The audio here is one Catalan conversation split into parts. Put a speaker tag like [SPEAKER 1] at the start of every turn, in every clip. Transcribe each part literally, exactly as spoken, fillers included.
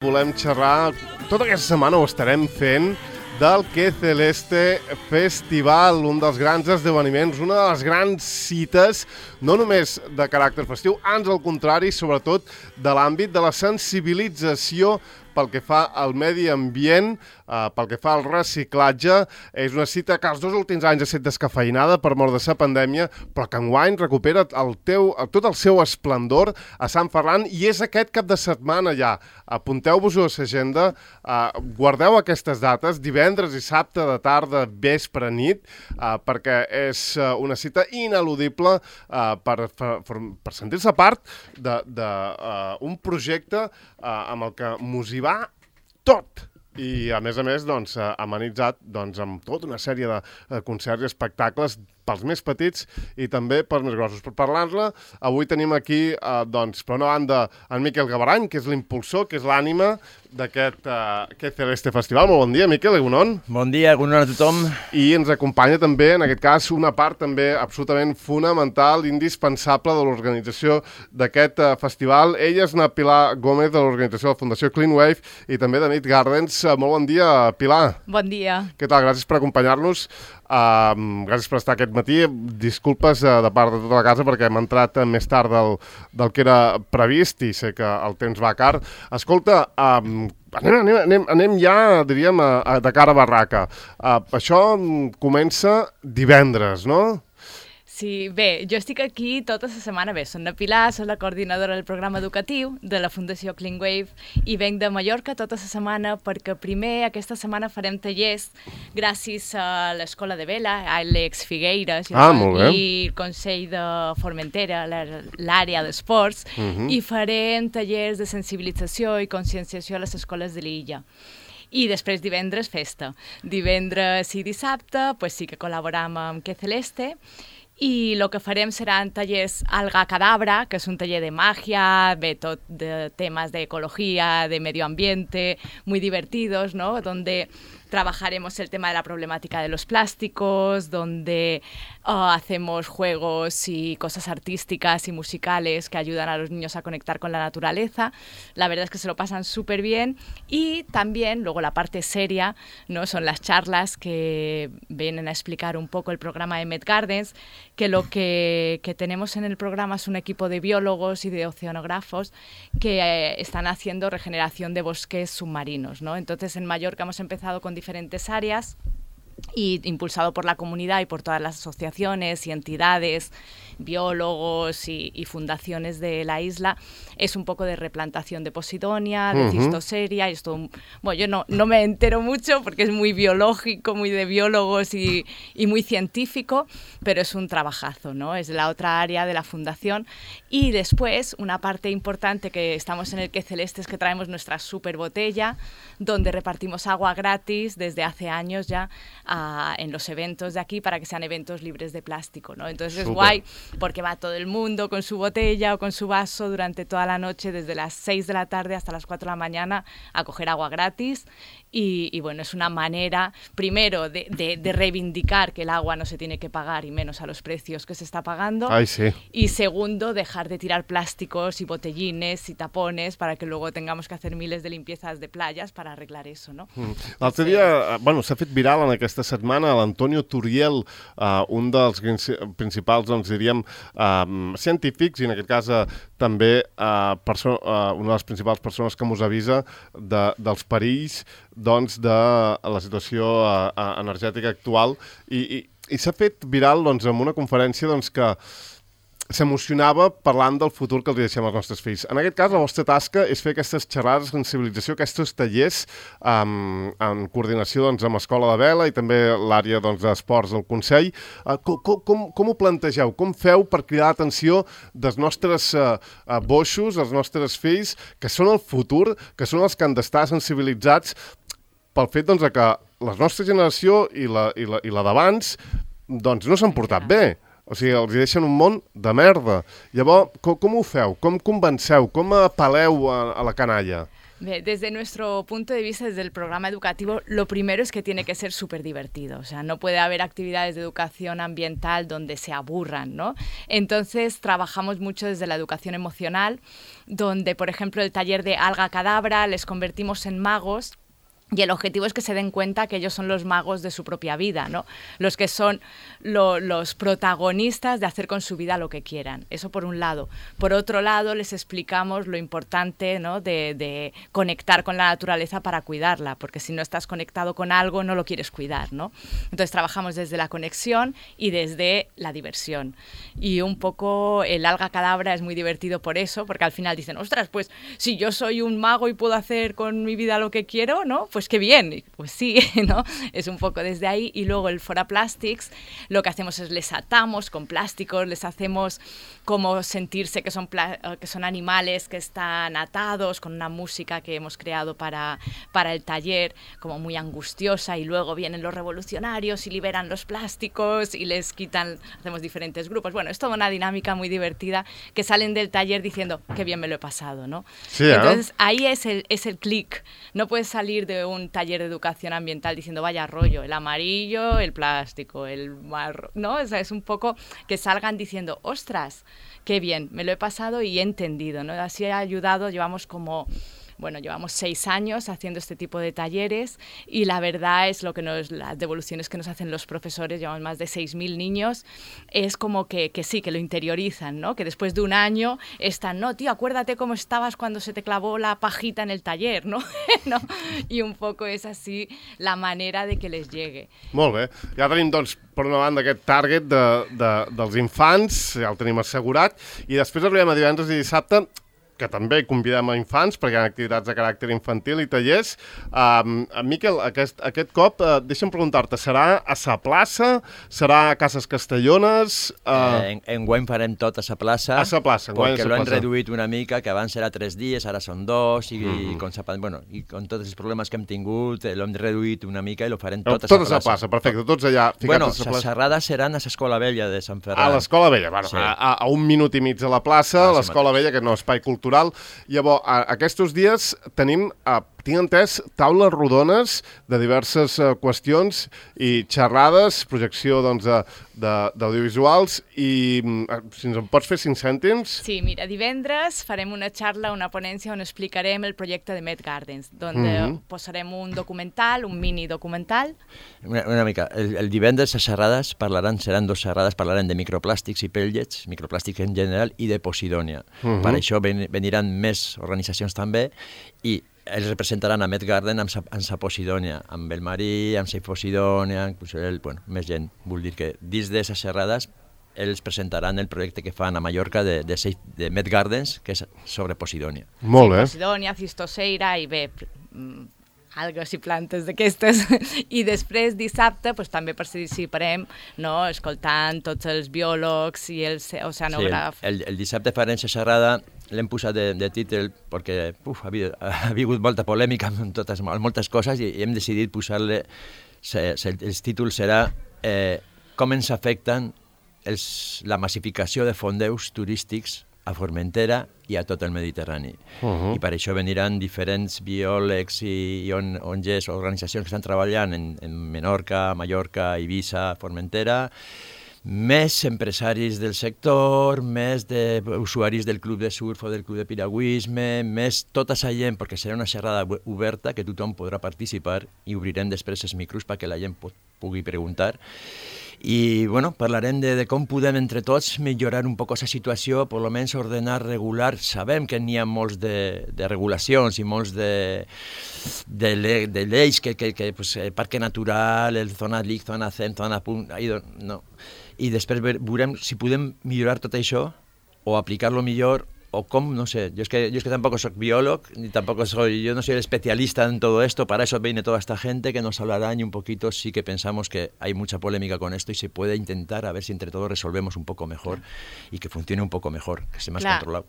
[SPEAKER 1] Volem xerrar, tota aquesta setmana ho estarem fent, del Que Celeste Festival, un dels grans esdeveniments, una de les grans cites, no només de caràcter festiu, ans al contrari, sobretot de l'àmbit de la sensibilització pel que fa al medi ambient, eh, pel que fa al reciclatge. És una cita que els dos últims anys ha estat descafeinada per mort de la pandèmia, però que enguany recupera el teu, tot el seu esplendor a Sant Ferran, i és aquest cap de setmana ja. Apunteu-vos-ho a l'agenda, eh, guardeu aquestes dates, divendres i dissabte de tarda, vespre, nit, eh, perquè és eh, una cita ineludible eh, per, per, per sentir-se part d'un uh, un projecte uh, amb el que mos hi va tot. I, a més a més, doncs, uh, amenitzat doncs, amb tota una sèrie de uh, concerts i espectacles pels més petits i també pels més grossos. Per parlar-ne, avui tenim aquí, eh, doncs, per una banda, en Miquel Gavarany, que és l'impulsor, que és l'ànima d'aquest eh, Que Celeste Festival. Molt bon dia, Miquel, egunon.
[SPEAKER 2] Bon dia, egunon a tothom.
[SPEAKER 1] I ens acompanya també, en aquest cas, una part també absolutament fonamental, indispensable de l'organització d'aquest eh, festival. Ella és una Pilar Gómez, de l'organització de la Fundació Clean Wave, i també de Nit Gardens. Molt bon dia, Pilar.
[SPEAKER 3] Bon dia.
[SPEAKER 1] Què tal? Gràcies per acompanyar-nos. Uh, gràcies per estar aquest matí. Disculpes uh, de part de tota la casa perquè hem entrat uh, més tard del, del que era previst i sé que el temps va car. Escolta, uh, anem, anem, anem, anem ja, diríem, a, a, de cara a barraca. Uh, això comença divendres, no?
[SPEAKER 3] Sí, bé, jo estic aquí tota la setmana. Bé, soc la Pilar, soc la coordinadora del programa educatiu de la Fundació Clean Wave i venc de Mallorca tota la setmana perquè primer aquesta setmana farem tallers gràcies a l'Escola de Vela, a l'Ex Figueires i,
[SPEAKER 1] ah,
[SPEAKER 3] el, i el Consell de Formentera, l'àrea d'esports, uh-huh. i farem tallers de sensibilització i conscienciació a les escoles de l'illa. I després divendres festa. Divendres i dissabte pues sí que col·laboram amb Que Celeste, i el que farem seran tallers Alga Cadabra, que és un taller de màgia, ve tot de temes d'ecologia, de medio ambiente, muy divertidos, ¿no? Donde trabajaremos el tema de la problemática de los plásticos, donde uh, hacemos juegos y cosas artísticas y musicales que ayudan a los niños a conectar con la naturaleza. La verdad es que se lo pasan súper bien. Y también, luego la parte seria, ¿no? Son las charlas que vienen a explicar un poco el programa de Nit Gardens, que lo que, que tenemos en el programa es un equipo de biólogos y de oceanógrafos que eh, están haciendo regeneración de bosques submarinos, ¿no? Entonces, en Mallorca hemos empezado con diferentes áreas y impulsado por la comunidad y por todas las asociaciones y entidades, biólogos y, y fundaciones de la isla, es un poco de replantación de Posidonia, de uh-huh. Cistoseria, y esto, bueno, yo no, no me entero mucho porque es muy biológico, muy de biólogos y, y muy científico, pero es un trabajazo, ¿no? Es la otra área de la fundación. Y después, una parte importante que estamos en el Que Celeste es que traemos nuestra super botella, donde repartimos agua gratis desde hace años ya a, en los eventos de aquí para que sean eventos libres de plástico, ¿no? Entonces Super. Es guay porque va todo el mundo con su botella o con su vaso durante toda la noche, desde las seis de la tarde hasta las cuatro de la mañana, a coger agua gratis. Y, y bueno, es una manera, primero, de, de, de reivindicar que el agua no se tiene que pagar y menos a los precios que se está pagando.
[SPEAKER 1] Ay, sí.
[SPEAKER 3] Y segundo, dejar de tirar plásticos y botellines y tapones para que luego tengamos que hacer miles de limpiezas de playas para arreglar eso, ¿no?
[SPEAKER 1] Mm. L'altre dia, bueno, s'ha fet viral en aquesta setmana l'Antonio Turiel, uh, un dels principals, doncs diríem, uh, científics, i en aquest cas uh, també uh, perso- uh, una de les principals persones que mos avisa de, dels perills doncs, de la situació uh, energètica actual, i, i, i s'ha fet viral doncs, en una conferència doncs, que s'emocionava parlant del futur que els deixem als nostres fills. En aquest cas, la vostra tasca és fer aquestes xerrades de sensibilització, aquests tallers um, en coordinació doncs, amb Escola de Vela i també l'àrea doncs, d'esports del Consell. Uh, com, com, com ho plantegeu? Com feu per cridar l'atenció dels nostres uh, uh, boixos, dels nostres fills, que són el futur, que són els que han d'estar sensibilitzats pel fet doncs, que la nostra generació i la, i la, i la d'abans doncs, no s'han portat bé. O sigui, els deixen un món de merda. Llavors, com, com ho feu? Com convenceu? Com apel·leu a, a la canalla?
[SPEAKER 3] Desde nuestro punto de vista, desde el programa educativo, lo primero es que tiene que ser súper divertido. O sea, no puede haber actividades de educación ambiental donde se aburran, ¿no? Entonces, trabajamos mucho desde la educación emocional, donde, por ejemplo, el taller de alga cadabra les convertimos en magos. Y el objetivo es que se den cuenta que ellos son los magos de su propia vida, ¿no? Los que son lo, los protagonistas de hacer con su vida lo que quieran. Eso por un lado. Por otro lado, les explicamos lo importante, ¿no?, de, de conectar con la naturaleza para cuidarla, porque si no estás conectado con algo, no lo quieres cuidar, ¿no? Entonces trabajamos desde la conexión y desde la diversión. Y un poco el alga cadabra es muy divertido por eso, porque al final dicen, ostras, pues si yo soy un mago y puedo hacer con mi vida lo que quiero, ¿no?, pues qué bien, pues sí, ¿no? Es un poco desde ahí. Y luego el Fora Plastics, lo que hacemos es les atamos con plásticos, les hacemos como sentirse que son, que son animales que están atados con una música que hemos creado para, para el taller, como muy angustiosa, y luego vienen los revolucionarios y liberan los plásticos y les quitan, hacemos diferentes grupos. Bueno, es toda una dinámica muy divertida que salen del taller diciendo, qué bien me lo he pasado, ¿no?
[SPEAKER 1] Sí, ¿eh?
[SPEAKER 3] Entonces ahí es el, es el clic. No puedes salir de un taller de educación ambiental diciendo vaya rollo, el amarillo, el plástico, el marrón, ¿no? O sea, es un poco que salgan diciendo, ostras, qué bien, me lo he pasado y he entendido, ¿no? Así ha ayudado, llevamos como... Bueno, llevamos seis años haciendo este tipo de talleres y la verdad es lo que nos, las devoluciones que nos hacen los profesores, llevamos más de seis mil niños, es como que, que sí, que lo interiorizan, ¿no? Que después de un año están, no, tío, acuérdate cómo estabas cuando se te clavó la pajita en el taller, ¿no? ¿no? I un poco és així la manera de que les llegue.
[SPEAKER 1] Molt bé. Ja tenim, doncs, per una banda aquest target de, de, dels infants, ja el tenim assegurat, i després arribem a divendres i dissabte, que també convidem a infants, perquè hi ha activitats de caràcter infantil i tallers. Um, Miquel, aquest, aquest cop, uh, deixa'm preguntar-te, serà a sa plaça? Serà a Cases Castellones? Uh...
[SPEAKER 2] Eh, en, enguany farem tot a sa plaça,
[SPEAKER 1] a sa plaça,
[SPEAKER 2] perquè l'hem reduït una mica, que abans era tres dies, ara són dos, i, mm. i, con, sa, bueno, i con tots els problemes que hem tingut, eh, l'hem reduït una mica i lo farem tot a sa plaça.
[SPEAKER 1] Tot a sa plaça, perfecte, tots allà ficats
[SPEAKER 2] bueno,
[SPEAKER 1] a sa plaça.
[SPEAKER 2] Bueno, les xerrades seran a l'Escola Vella de Sant Ferran.
[SPEAKER 1] A l'Escola Vella, bueno, sí. a, a un minut i mig de la plaça, ah, l'Escola Vella, que no és espai cultural. Llavors, aquests dies tenim, tinc entès, taules rodones de diverses qüestions i xerrades, projecció doncs, d'audiovisuals, i si ens en pots fer cinc cèntims?
[SPEAKER 3] Sí, mira, divendres farem una xarra, una ponència on explicarem el projecte de Met Gardens, on mm-hmm. posarem un documental, un mini documental.
[SPEAKER 2] Una, una mica, el, el divendres les xerrades parlaran, seran dos xerrades, parlaran de microplàstics i pellets, microplàstics en general, i de Posidònia. Mm-hmm. Per això ven, veniran més organitzacions també, i ells representaran a Met Garden amb sa, amb sa Posidònia, amb el marí, amb sa Posidònia, inclús el, bueno, més gent. Vull dir que dins d'aquestes xerrades ells presentaran el projecte que fan a Mallorca de, de, de Met Gardens, que és sobre Posidònia.
[SPEAKER 1] Molt bé.
[SPEAKER 3] Sí, Posidònia, Cistoseira i bé, algues i plantes d'aquestes. I després, dissabte, pues, també participarem, no?, escoltant tots els biòlegs i els oceanògrafs.
[SPEAKER 2] Sí, el, el, el dissabte farem la xerrada, l'hem posat de, de títol perquè uf, ha, ha hagut molta polèmica amb, totes, amb moltes coses, i hem decidit posar-le, el títol serà eh, com ens afecten els, la massificació de fondeus turístics a Formentera i a tot el Mediterrani. Uh-huh. I per això veniran diferents biòlegs i, i on, O N Ges, organitzacions que estan treballant en, en Menorca, Mallorca, Eivissa, Formentera, més empresaris del sector, més de usuaris del club de surf o del club de piragüisme, més tota la gent, perquè serà una xerrada oberta que tothom podrà participar, i obrirem després els micros perquè la gent pot, pugui preguntar. I bueno, parlarem de, de com podem entre tots millorar un poc la situació, per almenys ordenar, regular. Sabem que n'hi ha molts de, de regulacions i molts de, de, le, de lleis, que, que, que pues, el parc natural, el zona L I C, zona C E M, zona punt, no. I després veurem si podem millorar tot això o aplicar-lo millor, o com, no sé, yo es que, yo es que tampoco soy biólogo, ni tampoco soy, yo no soy el especialista en todo esto, para eso viene toda esta gente que nos hablará, y un poquito sí que pensamos que hay mucha polémica con esto y se puede intentar a ver si entre todos resolvemos un poco mejor y que funcione un poco mejor, que esté más Clar. controlado.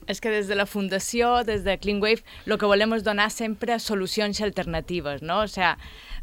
[SPEAKER 3] És que des de la Fundació, des de Clean Wave, el que volem és donar sempre solucions alternatives, no? O sea,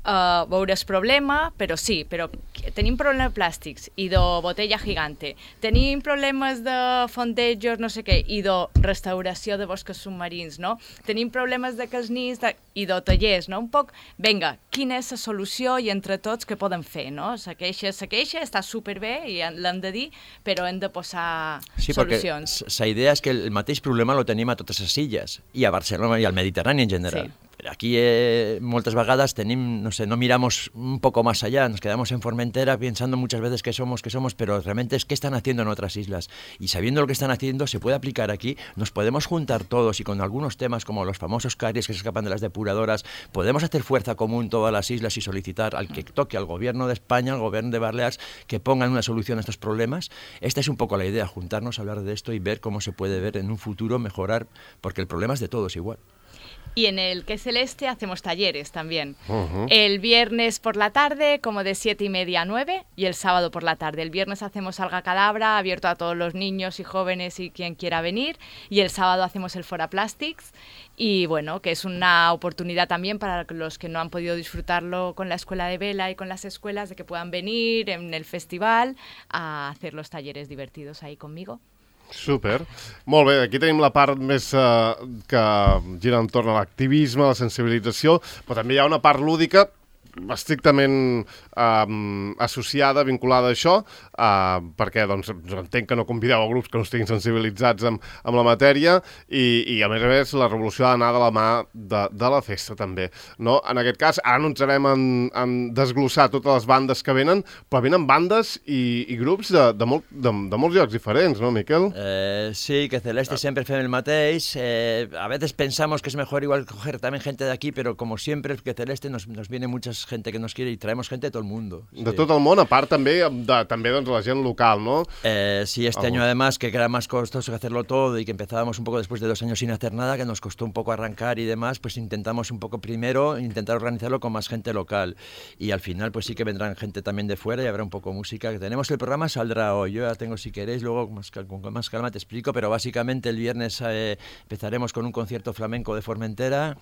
[SPEAKER 3] uh, veure el problema, però sí, però tenim problemes plàstics i de botella gigante, tenim problemes de fondejos, no sé què, i de restauració de boscos submarins, no? Tenim problemes de que els nins de... i de tallers, no? Un poc, vinga, quina és la solució i entre tots què podem fer, no? La queixa, la queixa està superbé i l'hem de dir, però hem de posar
[SPEAKER 2] sí,
[SPEAKER 3] solucions.
[SPEAKER 2] Sí, la idea és que el mateix problema lo tenim a totes les illes, i a Barcelona i al Mediterrani en general.
[SPEAKER 3] Sí.
[SPEAKER 2] Aquí eh, muchas vagadas tenim, no sé, no miramos un poco más allá, nos quedamos en Formentera pensando muchas veces que somos, que somos, pero realmente es qué están haciendo en otras islas. Y sabiendo lo que están haciendo, se puede aplicar aquí, nos podemos juntar todos y con algunos temas como los famosos caries que se escapan de las depuradoras, podemos hacer fuerza común todas las islas y solicitar al que toque, al gobierno de España, al gobierno de Baleares, que pongan una solución a estos problemas. Esta es un poco la idea, juntarnos, hablar de esto y ver cómo se puede ver en un futuro mejorar, porque el problema es de todos igual.
[SPEAKER 3] Y en el Que Celeste hacemos talleres también.
[SPEAKER 1] Uh-huh.
[SPEAKER 3] El viernes por la tarde, como de siete y media a nueve, y el sábado por la tarde. El viernes hacemos Alga Cadabra, abierto a todos los niños y jóvenes y quien quiera venir. Y el sábado hacemos el Fora Plastics. Y bueno, que es una oportunidad también para los que no han podido disfrutarlo con la escuela de vela y con las escuelas, de que puedan venir en el festival a hacer los talleres divertidos ahí conmigo.
[SPEAKER 1] Super. Molt bé, aquí tenim la part més eh, que gira entorn a l'activisme, a la sensibilització, però també hi ha una part lúdica estrictament eh, associada, vinculada a això, eh, perquè doncs, entenc que no convideu a grups que no estiguin sensibilitzats amb, amb la matèria i, i a més a més la revolució ha d'anar de la mà de, de la festa també. No? En aquest cas, ara no ens anem en, en desglossar totes les bandes que venen, però venen bandes i, i grups de, de, molt, de, de molts llocs diferents, no, Miquel?
[SPEAKER 2] Eh, sí, que Celeste siempre fem el mateix. Eh, a veces pensamos que es mejor igual coger también gente de aquí, pero como siempre que Celeste nos, nos viene muchas gente que nos quiere y traemos gente de todo el mundo. Sí.
[SPEAKER 1] De tot el món, a part també de també doncs, la gent local, ¿no?
[SPEAKER 2] Eh, sí, este oh. año además que era más costoso que hacerlo todo y que empezábamos un poco después de dos años sin hacer nada, que nos costó un poco arrancar y demás, pues intentamos un poco primero intentar organizarlo con más gente local y al final pues sí que vendrán gente también de fuera y habrá un poco música. Tenemos el programa, saldrá hoy, yo ya tengo si queréis, luego con más, con más calma te explico, pero básicamente el viernes eh, empezaremos con un concierto flamenco de Formentera,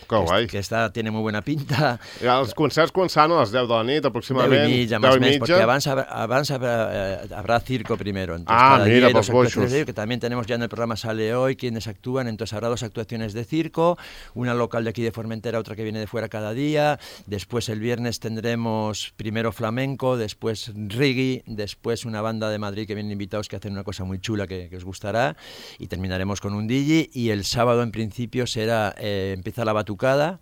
[SPEAKER 1] que, guai.
[SPEAKER 2] que está, tiene muy buena pinta.
[SPEAKER 1] Ja, els concerts començant a les deu de la nit, aproximadament.
[SPEAKER 2] deu i mitja, más mes, porque abans, abans habrá, eh, habrá circo primero. Entonces,
[SPEAKER 1] ah,
[SPEAKER 2] cada
[SPEAKER 1] mira,
[SPEAKER 2] día
[SPEAKER 1] pues boixos.
[SPEAKER 2] Que también tenemos ya en el programa Sale Hoy quienes actúan, entonces habrá dos actuaciones de circo, una local de aquí de Formentera, otra que viene de fuera cada día, después el viernes tendremos primero flamenco, después reggae, después una banda de Madrid que vienen invitados que hacen una cosa muy chula que, que os gustará y terminaremos con un D J y el sábado en principio será, eh, empieza la batucada,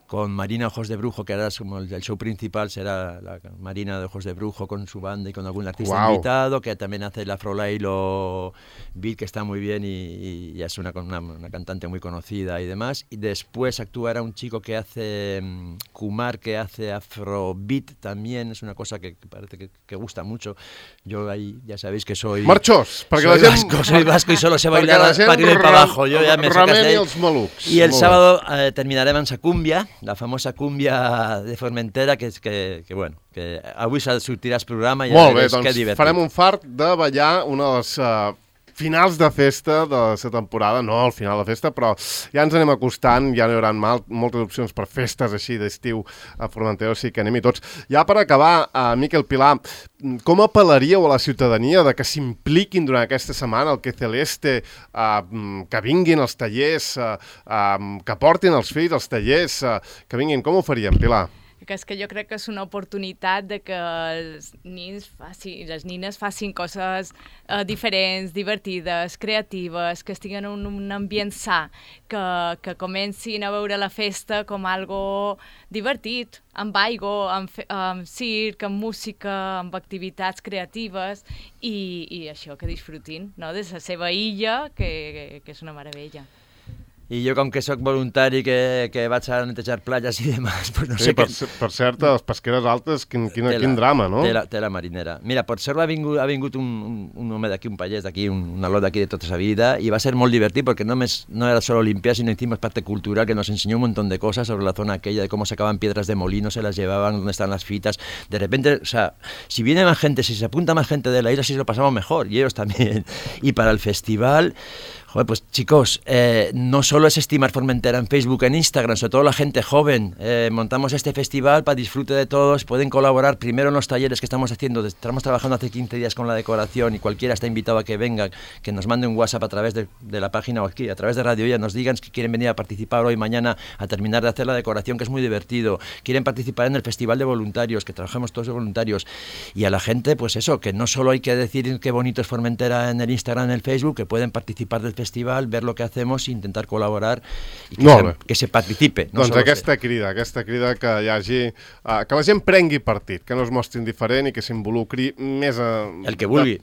[SPEAKER 2] con Marina Ojos de Brujo, que ahora es como el, el show principal, será la Marina de Ojos de Brujo con su banda y con algún artista wow. invitado, que también hace el Afrolailo Beat, que está muy bien y, y es una, una, una cantante muy conocida y demás. Y después actuará un chico que hace, um, Kumar, que hace Afrobeat también, es una cosa que, que parece que, que gusta mucho. Yo ahí ya sabéis que soy...
[SPEAKER 1] Marchós, perquè
[SPEAKER 2] soy
[SPEAKER 1] la gent...
[SPEAKER 2] vasco, soy vasco y solo sé bailar para arriba y para abajo. Yo ya me sacas de ahí. Y el sábado eh, terminaremos a cumbia, la famosa cumbia de Formentera, que és que, que bueno, que avui sortiràs programa i ja veuràs que divertit.
[SPEAKER 1] Farem un fart de ballar una de les uh, finals de festa de la temporada, no al final de festa, però ja ens anem acostant, ja n'hi haurà mal, moltes opcions per festes així d'estiu a Formentera, o sigui que anem-hi tots. Ja per acabar, uh, Miquel Pilar, com apel·laríeu a la ciutadania de que s'impliquin durant aquesta setmana al Que Celeste, uh, que vinguin als tallers, uh, uh, que portin els fills als tallers, uh, que vinguin? Com ho faríem, Pilar?
[SPEAKER 3] Que és que jo crec que és una oportunitat de que els nins facin, les nines facin coses eh, diferents, divertides, creatives, que estiguin en un, un ambient sa, que, que comencin a veure la festa com algo divertit, amb aigua, amb, fe, amb circ, amb música, amb activitats creatives i, i això, que disfrutin, no?, de la seva illa, que, que, que és una meravella.
[SPEAKER 2] I jo, com que sóc voluntari que, que vaig a netejar platges i demás, pues no
[SPEAKER 1] sí,
[SPEAKER 2] sé
[SPEAKER 1] per,
[SPEAKER 2] què...
[SPEAKER 1] Per cert, les pesqueres altes, quin, quin, tela, quin drama, no?
[SPEAKER 2] Tela, tela marinera. Mira, per cert, ha vingut, ha vingut un, un, un home d'aquí, un pallès d'aquí, un, un aló d'aquí de tota sa vida, i va ser molt divertit perquè no, més, no era solo limpiar, sino hicimos parte cultural, que nos enseñó un montón de cosas sobre la zona aquella, de cómo sacaban piedras de molino, se las llevaban, dónde están las fitas. De repente, o sea, si viene más gente, si se apunta más gente de la isla, sí lo pasamos mejor, y ellos también. Y para el festival... Joder, pues chicos, eh, no solo es estimar Formentera en Facebook, en Instagram, sobre todo la gente joven. Eh, montamos este festival para disfrute de todos, pueden colaborar primero en los talleres que estamos haciendo, estamos trabajando hace quince días con la decoración y cualquiera está invitado a que venga, que nos mande un WhatsApp a través de, de la página o aquí, a través de Radio Ya, nos digan que quieren venir a participar hoy, mañana, a terminar de hacer la decoración, que es muy divertido, quieren participar en el festival de voluntarios, que trabajamos todos de voluntarios, y a la gente, pues eso, que no solo hay que decir qué bonito es Formentera en el Instagram, en el Facebook, que pueden participar del festival, ver lo que hacemos i intentar col·laborar i que, se, que se participe. No
[SPEAKER 1] doncs aquesta ser. crida, aquesta crida que hi hagi, uh, que la gent prengui partit, que no es mostri indiferent i que s'involucri més a...
[SPEAKER 2] El que vulgui.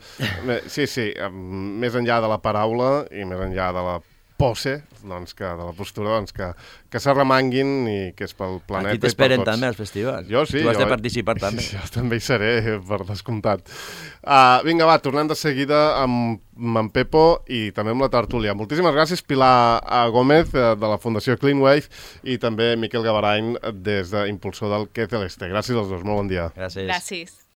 [SPEAKER 1] De, sí, sí, més enllà de la paraula i més enllà de la pose, doncs que, de la postura, doncs que, que s'arremanguin i que és pel planeta i per tots.
[SPEAKER 2] Aquí t'esperen també al festival.
[SPEAKER 1] Jo sí.
[SPEAKER 2] Tu has
[SPEAKER 1] jo,
[SPEAKER 2] de participar també.
[SPEAKER 1] Jo també hi seré, per descomptat. Uh, vinga, va, tornem de seguida amb, amb en Pepo i també amb la tertúlia. Moltíssimes gràcies, Pilar Gómez, de la Fundació Clean Wave, i també Miquel Gavarain, des d'impulsor del Que Celeste. Gràcies als dos, molt bon dia.
[SPEAKER 2] Gràcies.
[SPEAKER 3] Gràcies.